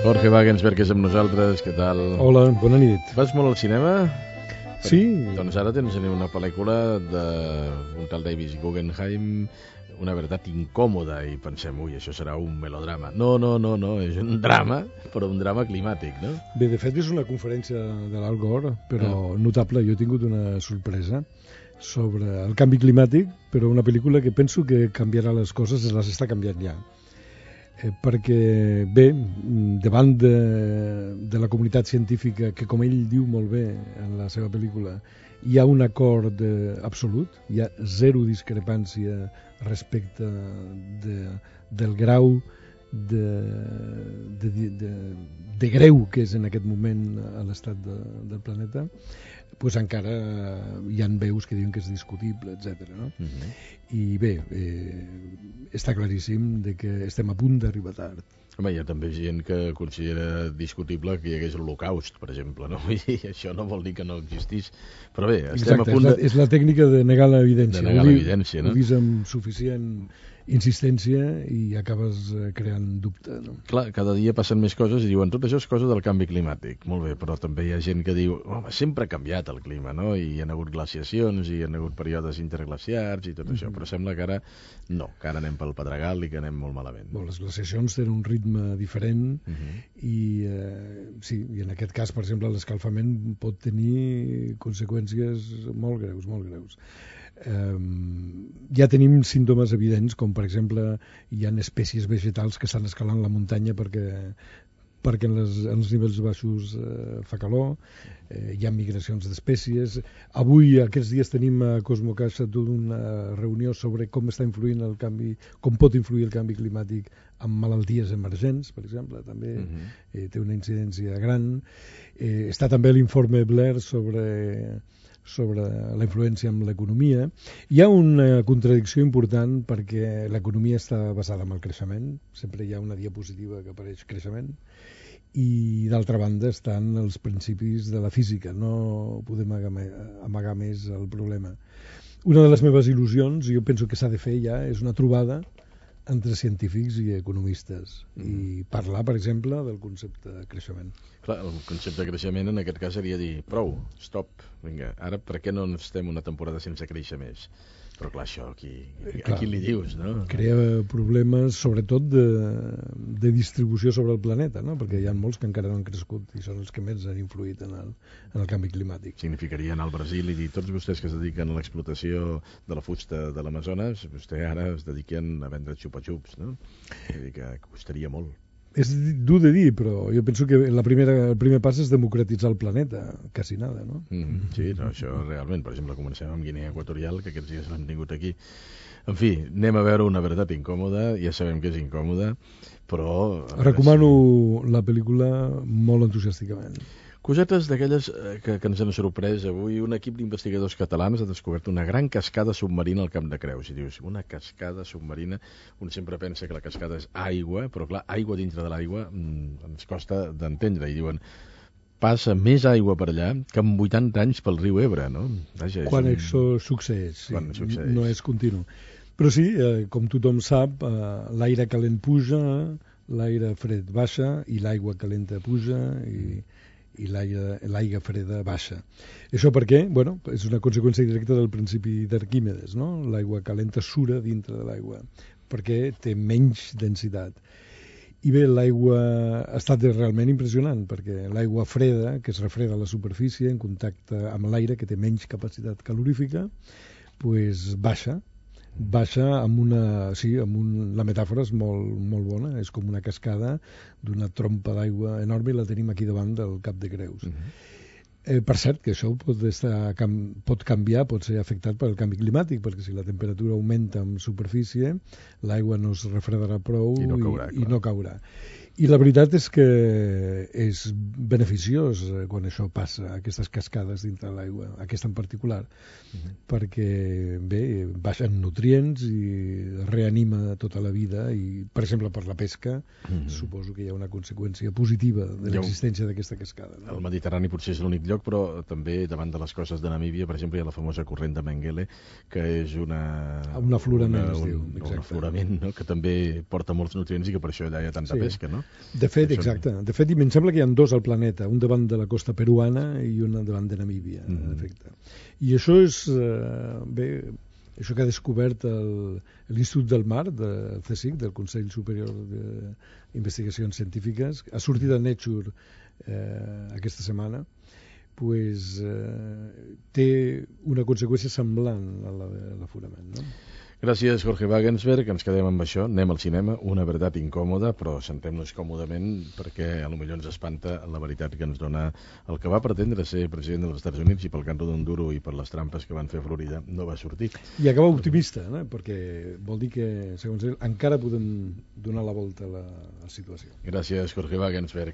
Jorge Wagensberg és amb nosaltres, què tal? Hola, bona nit. Vas molt al cinema? Sí. Doncs ara tens una pel·lícula d'un tal David Guggenheim, Una veritat incòmoda, i pensem, ui, això serà un melodrama. No, és un drama, però un drama climàtic, no? Bé, de fet és una conferència de l'Al Gore, però notable. Jo he tingut una sorpresa sobre el canvi climàtic, però una pel·lícula que penso que canviarà les coses, les està canviant ja. Perquè, bé, davant de la comunitat científica, que com ell diu molt bé en la seva pel·lícula, hi ha un acord absolut, hi ha zero discrepància respecte del grau de greu que és en aquest moment a l'estat del planeta, doncs encara hi han veus que diuen que és discutible, etc. No? I bé, està claríssim de que estem a punt d'arribar tard. Home, hi ha també gent que considera discutible que hi hagués l'Holocaust, per exemple, no? I això no vol dir que no existís. Però bé, estem a punt de... És la tècnica de negar l'evidència. De negar l'evidència, no? Ho dius amb suficient insistència i acabes creant dubte, no? Clar, cada dia passen més coses i diuen tot això és cosa del canvi climàtic. Molt bé, però també hi ha gent que diu home, sempre ha canviat el clima, no? I hi ha hagut glaciacions, i hi ha hagut períodes interglaciars i tot això, però sembla que ara no, que ara anem pel Pedregal i que anem molt malament. Les glaciacions tenen un ritme diferent i sí, i en aquest cas, per exemple, l'escalfament pot tenir conseqüències molt greus, molt greus. Ja tenim símptomes evidents, com per exemple hi ha espècies vegetals que estan escalant la muntanya perquè en els nivells baixos fa calor, hi ha migracions d'espècies. Avui, aquests dies, tenim a Cosmocaixa tota una reunió sobre com està influint el canvi, com pot influir el canvi climàtic amb malalties emergents, per exemple, també té una incidència gran. Està també l'informe Blair sobre la influència en l'economia. Hi ha una contradicció important perquè l'economia està basada en el creixement, sempre hi ha una diapositiva que apareix creixement, i d'altra banda estan els principis de la física, no podem amagar més el problema. Una de les meves il·lusions, jo penso que s'ha de fer ja, és una trobada entre científics i economistes i parlar, per exemple, del concepte de creixement. Clar, el concepte de creixement en aquest cas seria dir prou, stop, vinga, ara per què no estem una temporada sense créixer més? Però clar, això a qui li dius, no? Crea problemes, sobretot, de distribució sobre el planeta, no? Perquè hi ha molts que encara no han crescut i són els que més han influït en el canvi climàtic. Significaria anar al Brasil i dir tots vostès que es dediquen a l'explotació de la fusta de l'Amazones, vostè ara es dediquen a vendre xupa-xups, no? Vull dir que costaria molt. És dur de dir, però jo penso que el primer pas és democratitzar el planeta, quasi nada, no? Sí, no, això realment. Per exemple, comencem amb Guinea Equatorial, que aquests dies l'hem tingut aquí. En fi, anem a veure Una veritat incòmoda, ja sabem que és incòmoda, però... Recomano la pel·lícula molt entusiàsticament. Cosetes d'aquelles que ens han sorprès avui. Un equip d'investigadors catalans ha descobert una gran cascada submarina al Camp de Creus. I dius, una cascada submarina, un sempre pensa que la cascada és aigua, però clar, aigua dintre de l'aigua ens costa d'entendre. I diuen, passa més aigua per allà que en 80 anys pel riu Ebre, no? Vaja, quan això succeeix, sí. Quan succeeix. No és continu. Però sí, com tothom sap, l'aire calent puja, l'aire fred baixa, i l'aigua calenta puja, i l'aigua freda baixa. Això per què? Bueno, és una conseqüència directa del principi d'Arquímedes, no? L'aigua calenta sura dintre de l'aigua, perquè té menys densitat. I bé, l'aigua ha estat realment impressionant, perquè l'aigua freda, que es refreda a la superfície en contacte amb l'aire, que té menys capacitat calorífica, pues baixa amb la metàfora és molt bona, és com una cascada d'una trompa d'aigua enorme i la tenim aquí davant del Cap de Creus. Per cert, que això pot canviar, pot ser afectat pel canvi climàtic, perquè si la temperatura augmenta en superfície, l'aigua no es refredarà prou i no caurà. I la veritat és que és beneficiós quan això passa, aquestes cascades dintre de l'aigua, aquesta en particular, perquè, bé, baixen nutrients i reanima tota la vida i, per exemple, per la pesca, suposo que hi ha una conseqüència positiva de l'existència d'aquesta cascada. El Mediterrani potser és l'únic lloc, però també davant de les costes de Namíbia, per exemple, hi ha la famosa corrent de Mengele, que és un aflorament, es diu. Un aflorament, no?, que també porta molts nutrients i que per això allà hi ha tanta pesca, no? De fet, exacte. De fet, em sembla que hi ha dos al planeta, un davant de la costa peruana i un davant de Namíbia, en efecte. I això és, bé, això que ha descobert l'Institut del Mar, del CSIC, del Consell Superior d'Investigacions Científiques, ha sortit a Nature aquesta setmana, pues, té una conseqüència semblant a la de l'aforament, no? Gràcies, Jorge Wagensberg. Ens quedem amb això. Anem al cinema. Una veritat incòmoda, però sentem-nos còmodament perquè a lo millor ens espanta la veritat que ens dona el que va pretendre ser president dels Estats Units i pel canto d'un duro i per les trampes que van fer a Florida no va sortir. I acaba optimista, perquè vol dir que, segons ell, encara podem donar la volta a la situació. Gràcies, Jorge Wagensberg.